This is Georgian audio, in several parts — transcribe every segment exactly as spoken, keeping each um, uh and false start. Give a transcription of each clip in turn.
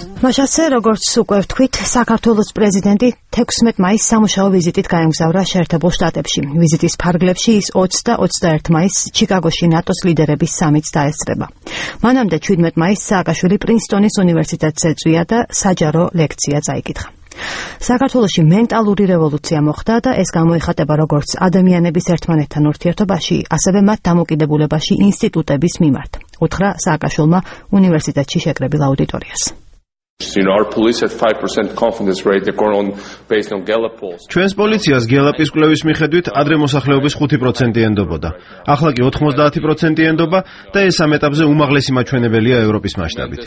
მაშასე, როგორც უკვე ვთქვით, საქართველოს პრეზიდენტი თექვსმეტ მაისს სამუშაო ვიზიტით გაემგზავრა შეერთებულ შტატებში. ვიზიტის ფარგლებში ის ოცი და ოცდაერთი მაისს ჩიკაგოში ნატოს ლიდერების სამიტს დაესწრება. მანამდე შვიდმეტ მაისს სააკაშვილი პრინსტონის უნივერსიტეტს ეწვია და საჯარო ლექცია წაიკითხა. საქართველოში მენტალური რევოლუცია მოხდა და ეს გამოიხატება როგორც ადამიანების ერთმანეთთან ურთიერთობაში, ასევე მათ დამოკიდებულებაში ინსტიტუტების მიმართ. უთხრა სააკაშვილმა უნივერსიტეტში შეკრებილ აუდიტორიას. ჩვენს პოლიციას გელაპის კვლევის მიხედვით ადრე მოსახლეობის ხუთი პროცენტი ენდობოდა. ახლა კი ოთხმოცდაათი პროცენტი ენდობა და ეს ამ ეტაპზე უმაღლესი მაჩვენებელია ევროპის მასშტაბით.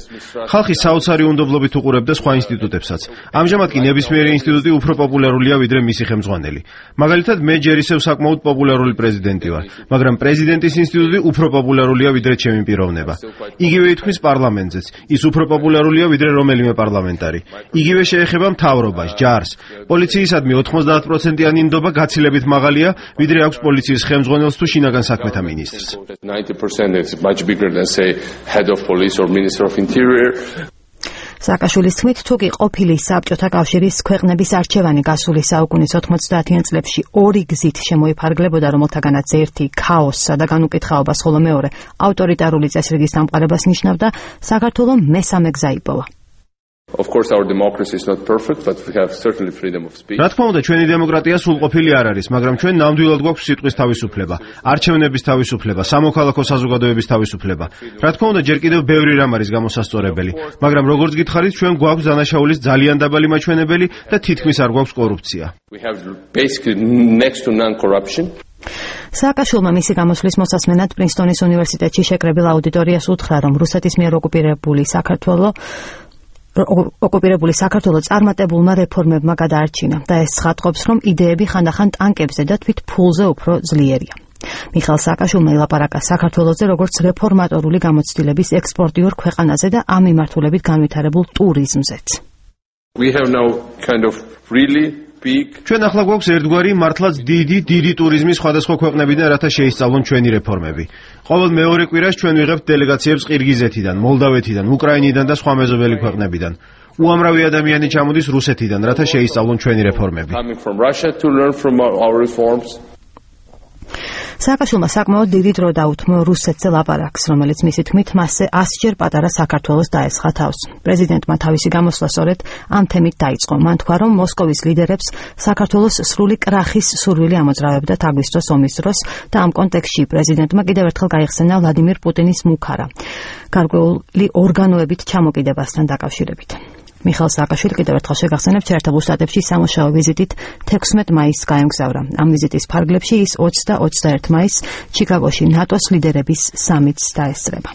ხალხი საოცარი უნდობლობით უყურებდა სხვა ინსტიტუტებსაც. ამჟამად კი ნებისმიერი ინსტიტუტი უფრო პოპულარულია ვიდრე მისი ხელმძღვანელი. მაგალითად, მე ჯერ ისევ საკმაოდ პოპულარული პრეზიდენტი ვარ, მაგრამ პრეზიდენტის ინსტიტუტი უფრო პოპულარულია ვიდრე ჩემი პიროვნება. იგივე ითქმის პარლამენტზეც. ის უფრო პოპულარულია ვიდრე რომელიმე პარლამენტარი. იგივე შეეხება მთავრობას, ჯარს. პოლიციისადმი ოთხმოცდაათი პროცენტიანი ნდობა გაცილებით მაღალია, ვიდრე აქვს პოლიციის ხელმძღვანელს თუ შინაგან საქმეთა მინისტრს. სააკაშვილის თქმით, თუ კი ყოფილი საბჭოთა კავშირის ქვეყნების არჩევანი გასული საუკუნის ოთხმოცდაათიან წლებში ორი გზით შემოიფარგლებოდა, რომელთაგანაც ერთი ქაოსსა და განუკითხაობას, ხოლო მეორე ავტორიტარული წესრიგის დამყარებას ნიშნავდა, საქართველომ მესამე გზა იპოვა. რა თქმა უნდა, ჩვენი დემოკრატია სრულყოფილი არ არის, მაგრამ ჩვენ ნამდვილად გვაქვს სიტყვის თავისუფლება, არჩევნების თავისუფლება, სამოქალაქო საზოგადოების თავისუფლება. რა თქმა უნდა, ჯერ კიდევ ბევრი რამ არის გამოსასწორებელი, მაგრამ როგორც გითხარით, ჩვენ გვაქვს დანაშაულის ძალიან დაბალი მაჩვენებელი და თითქმის არ გვაქვს კორუფცია. სააკაშვილმა მისი გამოსვლის მოსასმენად პრინსტონის უნივერსიტეტში შეკრებილ აუდიტორიას უთხრა, რომ რუსეთის მიერ ოკუპირებული საქართველო ოკუპირებული საქართველო წარმატებულმა რეფორმებმა გადაარჩინა და ეს ცხადყოფს, რომ იდეები ხანდახან ტანკებზე და თვით ფულზე უფრო ძლიერია. მიხეილ სააკაშვილმა ელაპარაკა საქართველოზე როგორც რეფორმატორული გამოცდილების ექსპორტიორ ქვეყანაზე და ამ მიმართულებით განვითარებულ ტურიზმზეც. ჩვენ ახლა გვაქვს ერთგვარი მართლაც დიდი დიდი ტურიზმის სხვადასხვა ქვეყნებიდან, რათა შეისწავლონ ჩვენი რეფორმები. ყოველ მეორე კვირას ჩვენ ვიღებთ დელეგაციებს ყირგიზეთიდან, მოლდავეთიდან, უკრაინიდან და სხვა მეზობელი ქვეყნებიდან. უამრავი ადამიანი ჩამოდის რუსეთიდან, რათა შეისწავლონ ჩვენი რეფორმები. სააკაშვილმა საკმაოდ დიდი დრო დაუთმო რუსეთზე ლაპარაკს, რომელიც მისი თქმით მასზე ასჯერ პატარა საქართველოს დაესხა თავს. პრეზიდენტმა თავისი გამოსვლა სწორედ ამ თემით დაიწყო. მან თქვა, რომ მოსკოვის ლიდერებს საქართველოს სრული კრახის სურვილი ამოძრავებდათ აგვისტოს ომის დროს და ამ კონტექსტში პრეზიდენტმა კიდევ ერთხელ გაიხსენა ვლადიმირ პუტინის მუქარა გარკვეული ორგანოებით ჩამოკიდებასთან დაკავშირებით. მიხეილ სააკაშვილი კიდევ ერთხელ შეგახსენებთ, შეერთებულ შტატებში სამუშაო ვიზიტით თექვსმეტ მაისს გაემგზავრა. ამ ვიზიტის ფარგლებში ის ოცი და ოცდაერთი მაისს ჩიკაგოში ნატოს ლიდერების სამიტს დაესწრება.